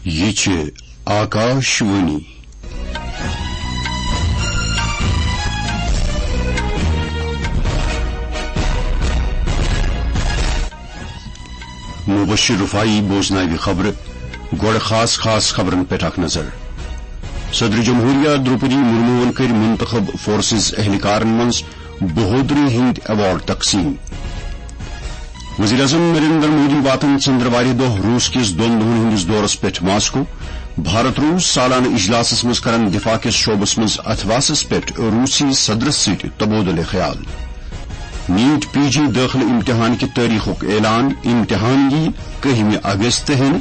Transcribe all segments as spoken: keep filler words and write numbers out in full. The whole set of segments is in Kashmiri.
یہِ چھِ آکاش وانی۔ مبشر رفاعی بوزناوِ خبرٕ۔ گۄڈٕ خاص خاص خبرن پٮ۪ٹھ اکھ نظر۔ صدر جمہوریہ درٛوپدی مرموہن کٔرۍ منتخب فورسز اہلکارن منٛز بہودری ہٕنٛدۍ ایوارڈ تقسیم۔ وزیر اعظم نریندر مودی واتن ژندروارِ دۄہ روس کِس دۄن دۄہن ہٕنٛدِس دورس پٮ۪ٹھ ماسکو۔ بھارت روس سالانہٕ اجلاسس منٛز کرن دفاع کِس شعبس منٛز اتھواسس پٮ۪ٹھ روسی صدرس سۭتۍ تبادلہ خیال۔ نیٹ پی جی دٲخلہٕ امتحان کہِ تٲریخُک اعلان، امتحان یِیہِ کٔہمہِ اگست ہٮ۪نہٕ۔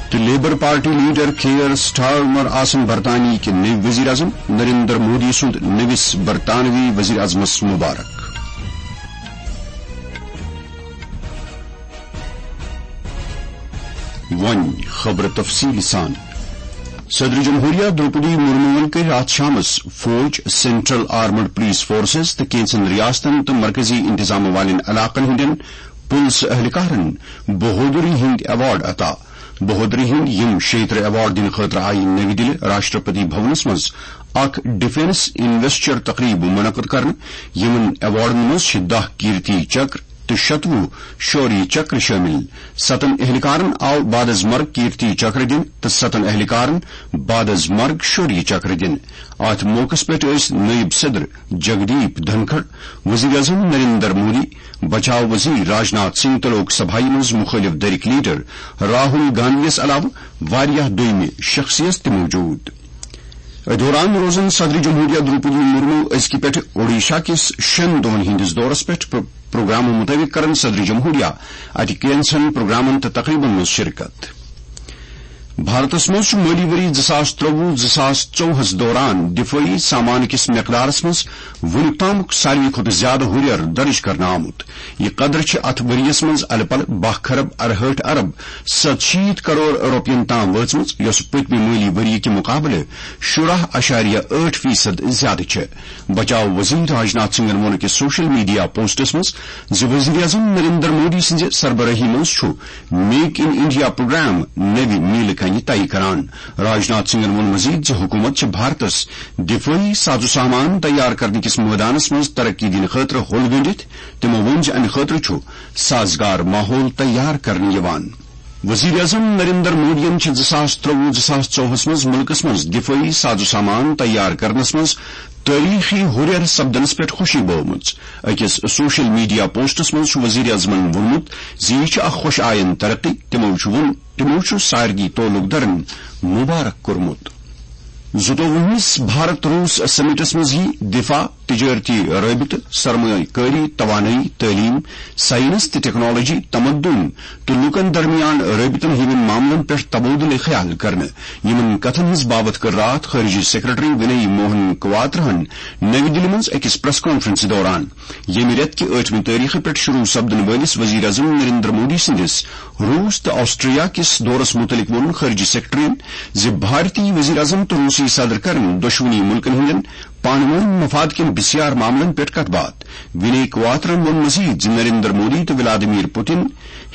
تہٕ labour party leader care Starmer آسن برطانیہ کہِ نٔوۍ وزیر اعظم۔ نریندر مودی سُنٛد نٔوِس برطانوی وزیر اعظمس مبارک۔ وۄنۍ خبرٕ تفصیٖل سان۔ صدر جمہوریہ درٛوپدی مرموہن کٔرۍ راتھ شامس فوج، سینٹرل آرمڈ پولیس فورسز تہٕ کینٛژن ریاستن تہٕ مرکزی انتظام والٮ۪ن علاقن ہٕنٛدٮ۪ن پُلسہٕ اہلکارن بہودری ہٕنٛدۍ ایوارڈ عطا۔ بہودری ہٕنٛدۍ یِم شیٚیہِ ترٕہ ایوارڈ دِنہٕ خٲطرٕ آیہِ نٔوۍ دِلہِ راشٹرپتی بھونس منٛز اکھ ڈیفنس انویسٹر تقریب منعقد کرنہٕ۔ یِمن ایوارڈن منٛز چھِ دَہ کیرتی چکر تہٕ شتوُہ شوریہ چکر شٲمِل۔ ستن اہلکارن آو بعد از مرگ کیرتی چکر دِنہٕ تہٕ ستن اہلکارن بعد از مرگ شوریہ چکر دِنہٕ۔ اتھ موقعس پٮ۪ٹھ ٲسۍ نٲیِب صدر جگدیپ دھنکھڑ، وزیر اعظم نریندر مودی، بچاو وزیر راجناتھ سنگھ تہٕ لوک سبھایہ منٛز مخٲلف دھرٕکۍ لیڈر راہل گاندھیَس علاوٕ واریاہ دوٚیمہِ شخصیژ تہِ موجود۔ أتھۍ دوران روزن صدر جمہوریہ درٛوپدی مرمو أزکہِ پٮ۪ٹھٕ اوڈیشہ کِس شٮ۪ن دۄہن ہٕنٛدِس دورس پٮ۪ٹھ۔ پرو-، پروگرامہٕ مُطٲبِق کرن صدر جمہوریہ اتہِ کینٛژن پروگرامن تہٕ تقریبن منٛز شرکت۔ بھارتس منٛز چھُ مٲلی ؤری زٕ ساس ترٛوٚوُہ زٕ ساس ژوٚوُہس دوران دفٲعی سامان کِس مقدارس منٛز وُنیُک تامُک ساروی کھۄتہٕ زیادٕ ہُرٮ۪ر درٕج کرنہٕ آمُت۔ یہِ قدر چھِ اتھ ؤرۍ یَس منٛز الہٕ پلہٕ باہ کھرب ارہٲٹھ ارب ستشیٖتھ کرور رۄپین تام وٲژمٕژ، یۄس پٔتمہِ مٲلی ؤری کہِ مُقابلہٕ شُراہ اَشاریہ ٲٹھ فیصد زیادٕ چھِ۔ بچاو وزیر راجناتھ سنگھن ووٚن أکِس سوشل میڈیا پوسٹس منٛز زِ وزیر اعظم نریندر مودی سٕنٛزِ سربرٲہی منٛز چھُ میک ان انڈیا پروگرام نوِ میلہِ کنہِ طے کران۔ راجناتھ سنگھن ووٚن مزید زِ حکومت چھِ بھارتس دفٲعی ساز و سامان تیار کرنہٕ کِس مٲدانس منٛز ترقی دِنہٕ خٲطرٕ ہوٚل گٔنڈِتھ۔ تِمو ووٚن زِ امہِ خٲطرٕ چھُ سازگار ماحول تیار کرنہٕ یِوان۔ وزیر اعظم نریندر مودیَن چھِ زٕ ساس ترٛوٚوُہ زٕ ساس ژوٚوُہس منٛز مُلکَس منٛز دفٲعی ساز و سامان تیار کرنَس منٛز تٲریخی ہُرٮ۪ر سپدنَس پٮ۪ٹھ خوشی بٲومٕژ۔ أکِس سوشل میڈیا پوسٹَس منٛز چھُ وزیر اعظمَن ووٚنمُت زِ یہِ چھِ اکھ خۄش آیند ترقی۔ تِمو چھُ ووٚن، تِمو چھُ سارنٕے تعلق دارَن مبارک کوٚرمُت۔ زٕتووُہمِس بھارت روس سمٹس منٛز یی دفاع، تجارتی رٲبطہٕ، سرمایہ کٲری، توانٲیی، تعلیم، سائنس تہٕ ٹیکنالوجی، تمدن تہٕ لوٗکن درمیان رٲبطن ہٕنٛدٮ۪ن معاملن پٮ۪ٹھ تبادلہٕ خیال کرنہٕ۔ یِمن کتھن ہٕنٛز باوتھ کٔر راتھ خارجہ سیکرٹری ونی موہن کواترہن نَوِ دِلہِ منٛز أکِس پریس کانفرنسہِ دوران۔ ییٚمہِ رٮ۪تہٕ کہِ ٲٹھمہِ تٲریخہٕ پٮ۪ٹھ شروع سپدن وٲلِس وزیر اعظم نریندر مودی سٕنٛدِس روس تہٕ آسٹریا کِس دورس مُتعلق ووٚن خارجہ سیکرٹریَن زِ بھارتی وزیر اعظم تہٕ روسی صدر کرن دۄشوٕنی ملکن ہٕنٛدٮ۪ن پانہٕ وٲنۍ مفاد کٮ۪ن بسیار معاملن پٮ۪ٹھ کتھ باتھ۔ ونی کواترن ووٚن مزید زِ نریندر مودی تہٕ ولادیمیر پوتن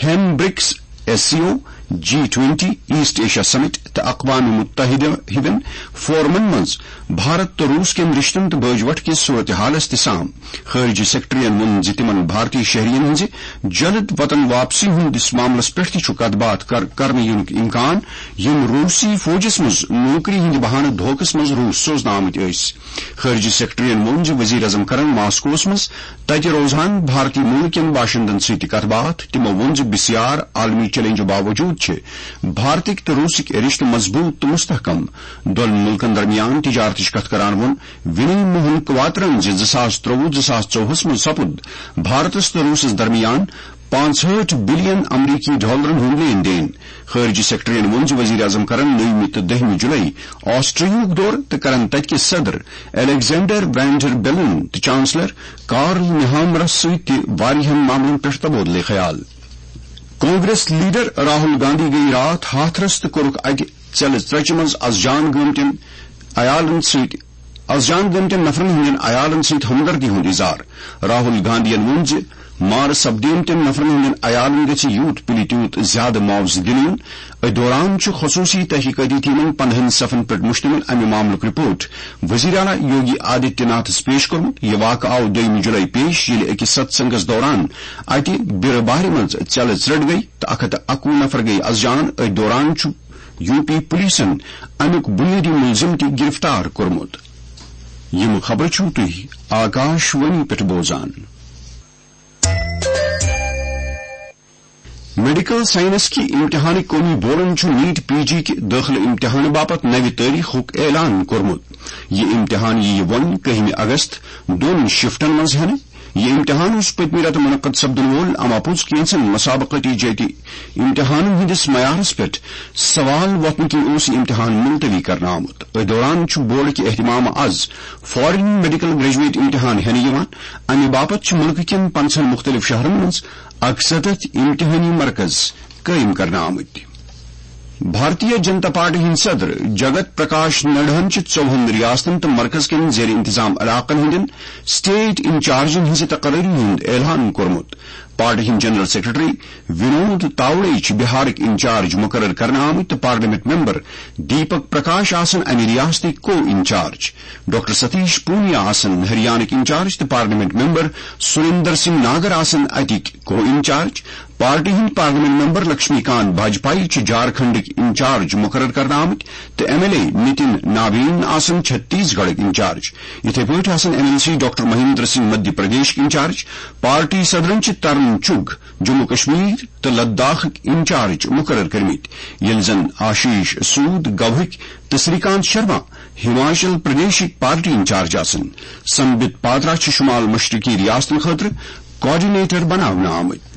ہٮ۪ن برکس، ایس سی او، جی ٹوینٹی، ایسٹ ایشیا سمٹ تہٕ اقوام متحدہ ہِوٮ۪ن فورمن منٛز بھارت تہٕ روس کٮ۪ن رشتن تہٕ بٲج وٹھ کِس صورتحالس تہِ سام۔ خارجہ سیکرٹریَن ووٚن زِ تِمَن بھارتی شہریَن ہٕنٛزِ جلد وطن واپسی ہٕنٛدِس معاملَس پٮ۪ٹھ تہِ چھُ کتھ باتھ کر-، کرنہٕ یِنُک امکان، یِم روسی فوجَس منٛز نوکری ہٕنٛدِ بہانہٕ دھوکَس منٛز روس سوزنہٕ آمٕتۍ ٲسۍ۔ خارجہ سیکرٹریَن ووٚن زِ وزیر اعظم کرن ماسکوَس منٛز تَتہِ روزان بھارتی مُلک کٮ۪ن باشندَن سۭتۍ تہِ کتھ باتھ۔ تِمَو ووٚن زِ بسیار عالمی چیلنجو باوجود چھِ بھارتٕکۍ تہٕ روسٕکۍ رشتہٕ مضبوط تہٕ مستحکم۔ دۄن مُلکَن درمیان تجارتٕچ کتھ کران ووٚن ونی موہن کواترن زِ زٕ ساس ترٛوٚوُہ زٕ ساس ژوٚوُہس منٛز سپُد بھارتس تہٕ روسس درمیان پانٛژہٲٹھ بلین امریکی ڈالرن ہُنٛد لین دین۔ خارجہ سیکرٹریَن ووٚن زِ وزیر اعظم کرن نٔومہِ تہٕ دٔہمہِ جولائی آسٹریاہُک دورٕ تہٕ کرن تتہِ کِس صدر الیگزینڈر وینڈر بیلن تہٕ چانسلر کارل نیہامرس سۭتۍ تہِ واریاہن معاملن پٮ۪ٹھ تبادلہ خیال۔ کانگریس لیڈر راہل گاندھی گٔیہِ راتھ ہاتھرس تہٕ کوٚرُکھ اَتہِ ژیلہٕ ژرچہِ منٛز از جان گٲمتٮ۪ن عیالن سۭتۍ از جان گٲمتٮ۪ن نفرن ہٕنٛدٮ۪ن عیالن سۭتۍ ہمدردی ہُنٛد اظہار۔ راہل گاندھین ووٚن زِ مارٕ سپدیمتٮ۪ن نفرن ہٕنٛدٮ۪ن عیالن گژھِ یوٗت پُلہِ تیوٗت زیادٕ معاوضہٕ دِنہٕ یُن۔ أتھۍ دوران چھُ خصوٗصی تحقیقٲتی ٹیمن پندہن صفن پٮ۪ٹھ مشتمل امہِ معاملُک رپورٹ وزیر اعلیٰ یوگی آدتیہ ناتھس پیش کوٚرمُت۔ یہِ واقعہٕ آو دوٚیمہِ جُلای پیش، ییٚلہِ أکِس ستسنگس دوران اتہِ بیرٕ بارِ منٛز ژٮ۪لہٕ ژرٛٹھ گٔیہِ تہٕ اکھ ہتھ تہٕ اکوُہ نفر گٔیہِ از جان۔ أتھۍ دوران چھُ یو پی پولیسن امیُک بنیٲدی ملزم تہِ گرفتار کوٚرمُت۔ یِم خبرٕ چھِو تُہۍ آکاش وانی پٮ۪ٹھ بوزان۔ میڈیکل سائنس کہِ امتحانٕکۍ قومی بورڈن چھُ نیٹ پی جی کہِ دٲخلہٕ امتحانہٕ باپتھ نوِ تٲریخُک اعلان کوٚرمُت۔ یہِ امتحان یِیہِ وۄنۍ کٔہمہِ اگست دۄن شفٹن منٛز ہٮ۪نہٕ۔ یہِ امتحان اوس پٔتمہِ رٮ۪تہٕ منعقد سپدن وول، اما پوٚز کینٛژن مسابقتی جٲتی امتحانن ہٕنٛدِس معیارس پٮ۪ٹھ سوال وۄتھنہٕ کِنۍ اوس یہِ امتحان ملتوی کرنہٕ آمُت۔ أتھۍ دوران چھُ بورڈ کہِ اہتمامہٕ از فارین میڈیکل گریجویٹ امتحان ہٮ۪نہٕ یِوان۔ امہِ باپتھ چھِ مُلکہٕ کٮ۪ن پنژہن مُختٔلِف شہرن منٛز اکسَتتھ امتحٲنی مرکز قٲیِم کرنہٕ آمٕتۍ۔ بھارتیہ جنتا پارٹی ہٕنٛدۍ صدر جگت پرکاش نڈاہن چھِ ژوٚوُہن ریاستن تہٕ مرکز کٮ۪ن زیر انتظام علاقن ہٕنٛدٮ۪ن اسٹیٹ انچارجن ہٕنٛزِ تقرری ہُنٛد اعلان کوٚرمُت۔ پارٹی ہٕنٛدۍ جنرل سیکرٹری ونود تاوڑے چھِ بہارٕکۍ انچارج مقرر کرنہٕ آمٕتۍ تہٕ پارلیمنٹ ممبر دیپک پرکاش آسن امہِ ریاستٕکۍ co incharge. Doctor Satish Punia آسن ہریانٕکۍ انچارج تہٕ پارلیمنٹ ممبر سریندر سنگھ ناگر آسن اتِکۍ کو انچارج۔ پارٹی ہٕنٛدۍ parliament member Laxmikant Bajpai چھِ جھارکھنڈٕکۍ انچارج مقرر کرنہٕ آمٕتۍ تہٕ M L A Nitin Nabin آسن چھتیس گڑھٕکۍ انچارج۔ یِتھے پٲٹھۍ آسن M L C doctor Mahendra Singh Madhya پردیشٕکۍ انچارج۔ پارٹی صدرن چھِ ترن چُگ جموں کشمیر تہٕ لداخٕکۍ انچارج مقرر کٔرمٕتۍ، ییٚلہِ زن آشیش سود گواہٕکۍ تہٕ سری کانت شرما ہماچل پردیشٕکۍ پارٹی انچارج آسن۔ سمبت پاترا چھِ شمال مشرقی ریاستن خٲطرٕ کوآرڈینیٹر بناونہٕ آمٕتۍ۔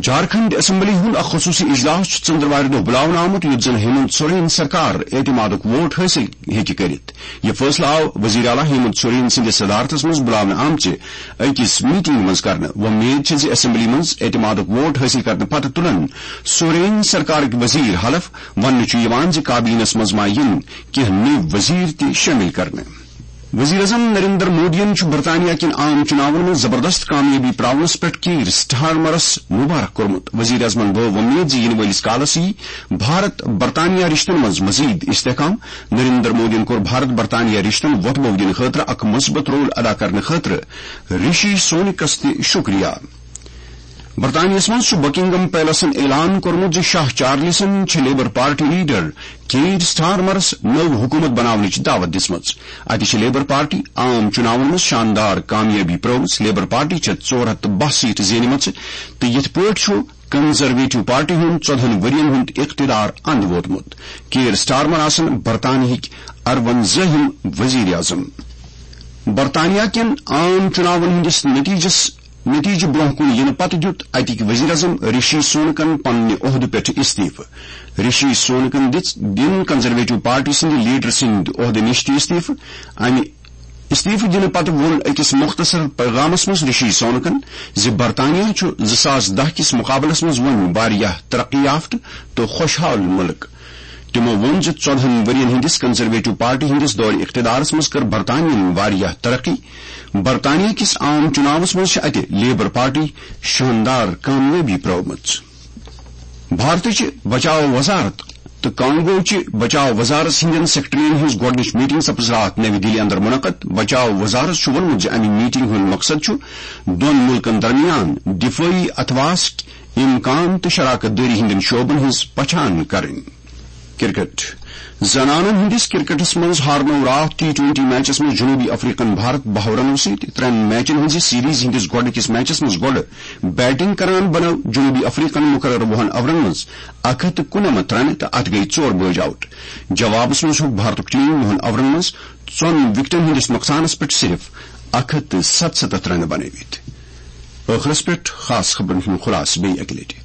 جھارکھنڈ اسمبلی ہُنٛد اکھ خصوٗصی اجلاس چھُ ژٔنٛدٕروارِ دۄہ بُلاونہٕ آمُت، یُتھ زن ہیمنت سورین سرکار اعتمادُک ووٹ حٲصِل ہیٚکہِ کٔرِتھ۔ یہِ فٲصلہٕ آو وزیر اعلیٰ ہیمنت سورین سٕنٛدِس صدارتس منٛز بُلاونہٕ آمژِ أکِس میٹنگ منٛز کرنہٕ۔ وۄمید چھِ زِ اسمبلی منٛز اعتمادُک ووٹ حٲصِل کرنہٕ پتہٕ تُلن سورین سرکارٕکۍ وزیر حلف۔ وننہٕ چھُ یِوان زِ کابینس منٛز ما یِن کینٛہہ نٔوۍ وزیر تہِ شٲمِل کرنہٕ۔ وزیر اعظم نریندر مودیَن چھُ برطانیہ کٮ۪ن عام چُناون منٛز زبردست کامیٲبی پراونس پٮ۪ٹھ کیٖر سٹارمرس مبارک کوٚرمُت۔ وزیر اعظمن وٲو وۄمید زِ یِنہٕ وٲلِس کالس یِیہِ بھارت برطانیہ رشتن منٛز مزید استحکام۔ نریندر مودیَن کوٚر بھارت برطانیہ رشتن وۄتھٕ بوٚو دِنہٕ خٲطرٕ اکھ مثبت رول ادا کرنہٕ خٲطرٕ رشی سونکس تہِ شکریہ۔ برطانیہس منٛز چھُ بکنگم پیلسن اعلان کوٚرمُت زِ شاہ چارلسن چھِ لیبر پارٹی لیڈر کیٖر سٹارمرس نٔو حکومت بناونٕچ دعوت دِژمٕژ۔ اتہِ چھِ لیبر پارٹی عام چُناون منٛز شاندار کامیٲبی پرٲومٕژ۔ لیبر پارٹی چھےٚ ژور ہتھ تہٕ باہ سیٹہٕ زینِمژٕ تہٕ یِتھ پٲٹھۍ چھُ کنزرویٹو پارٹی ہُنٛد ژۄدہن ؤرین ہُنٛد اقتدار اند ووتمُت۔ کیٖر سٹارمر آسن برطانیہٕکۍ ارونزٲہِم وزیر اعظم۔ برطانیہ کٮ۪ن عام چُناون ہٕنٛدِس نتیجس نتیجہٕ برونٛہہ کُن یِنہٕ پتہٕ دیُت اتِکۍ وزیر اعظم رشی سونکن پننہِ عہدٕ پٮ۪ٹھ استعفہٕ۔ رشی سونکن دِژ دِن کنزرویٹو پارٹی سٕنٛدِ لیڈر سٕنٛدِ عہدٕ نِش تہِ استعفہٕ۔ امہِ استعفہٕ دِنہٕ پتہٕ ووٚن أکِس مختصر پیغامس منٛز رشی سونکن زِ برطانیہ چھُ زٕ ساس دَہ کِس مقابلس منٛز وۄنۍ واریاہ ترقی یافتہٕ تہٕ خۄشحال مُلک۔ تِمو ووٚن زِ ژۄدہن ؤرین ہٕنٛدِس کنزرویٹو پارٹی ہٕنٛدِس دورِ اقتدارس منٛز کٔر برطانیہن واریاہ ترقی۔ برطانیہ کِس عام چُناوس منٛز چھِ اتہِ لیبر پارٹی شاندار کامیٲبی پرٲومٕژ۔ بھارتٕچ بچاو وزارت تہٕ کانگوچہِ بچاو وزارت ہٕنٛدٮ۪ن سیکرٹرین ہٕنٛز گۄڈٕنِچ میٹنگ سپٕز راتھ نَوِ دِلہِ اندر منعقد۔ بچاو وزارت چھُ ووٚنمُت زِ امہِ میٹنگ ہُنٛد مقصد چھُ دۄن مُلکن درمیان دفٲعی اتھواس امکان تہٕ شراکت دٲری ہٕنٛدٮ۪ن شعبن ہٕنٛز پہچان کرٕنۍ۔ کرکٹ۔ زنانن ہٕنٛدِس کرکٹس منٛز ہارنوو راتھ ٹی ٹوئنٹی میچس منٛز جنوبی افریقن بھارت بَہَو رنو سۭتۍ۔ ترٛٮ۪ن میچن ہٕنٛزِ سیریز ہٕنٛدِس گۄڈٕنِکِس میچس منٛز گۄڈٕ بیٹنگ کران بنٲو جنوبی افریقن مقرر وُہن اورن منٛز اکھ ہتھ تہٕ کُننَمتھ رنہٕ تہٕ اتھ گٔیہِ ژور بٲج آؤٹ۔ جوابس منٛز ہیوٚک بھارتُک ٹیم وُہن اورن منٛز ژۄن وکٹن ہٕنٛدِس نۄقصانس پٮ۪ٹھ صرف اکھ ہتھ تہٕ ستستتھ رنہٕ بنٲوِتھ۔ ٲخرس پٮ۪ٹھ خاص خبرن ہُنٛد خلاصہٕ بیٚیہِ اکہِ لٹہِ۔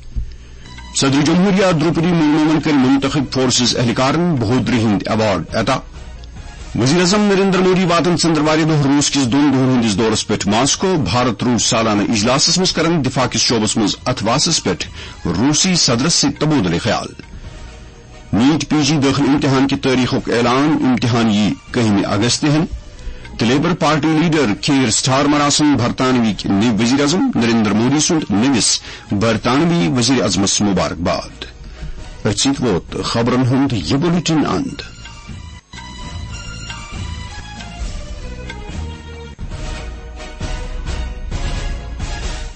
صدر جمہوریہ دروپدی مرموَن کٔرۍ منتخب فورسز اہلکارن بہادری ہٕنٛدۍ ایوارڈ عطا۔ وزیر اعظم نریندر مودی واتن ژٔنٛدروارِ دۄہ روٗس کِس دۄن دۄہن ہٕنٛدِس دورس پٮ۪ٹھ ماسکو۔ بھارت روٗس سالانہٕ اجلاسس منٛز کرن دفاع کِس شعبس منٛز اتھواسس پٮ۪ٹھ روٗسی صدرس سۭتۍ تبادلہٕ خیال۔ نیٹ پی جی دٲخلہٕ امتحان کہِ تٲریخُک اعلان، امتحان یی کٔہمہِ اگست ہٮ۪نہٕ۔ تہٕ labour party leader care Starmer آسن برطانوی نٔوۍ وزیر اعظم نریندر مودی سُنٛد نٔوِس برطانوی وزیر اعظمس مبارکباد۔ أتھۍ سۭتۍ ووت خبرن ہُنٛد یہِ بلیٹن اند۔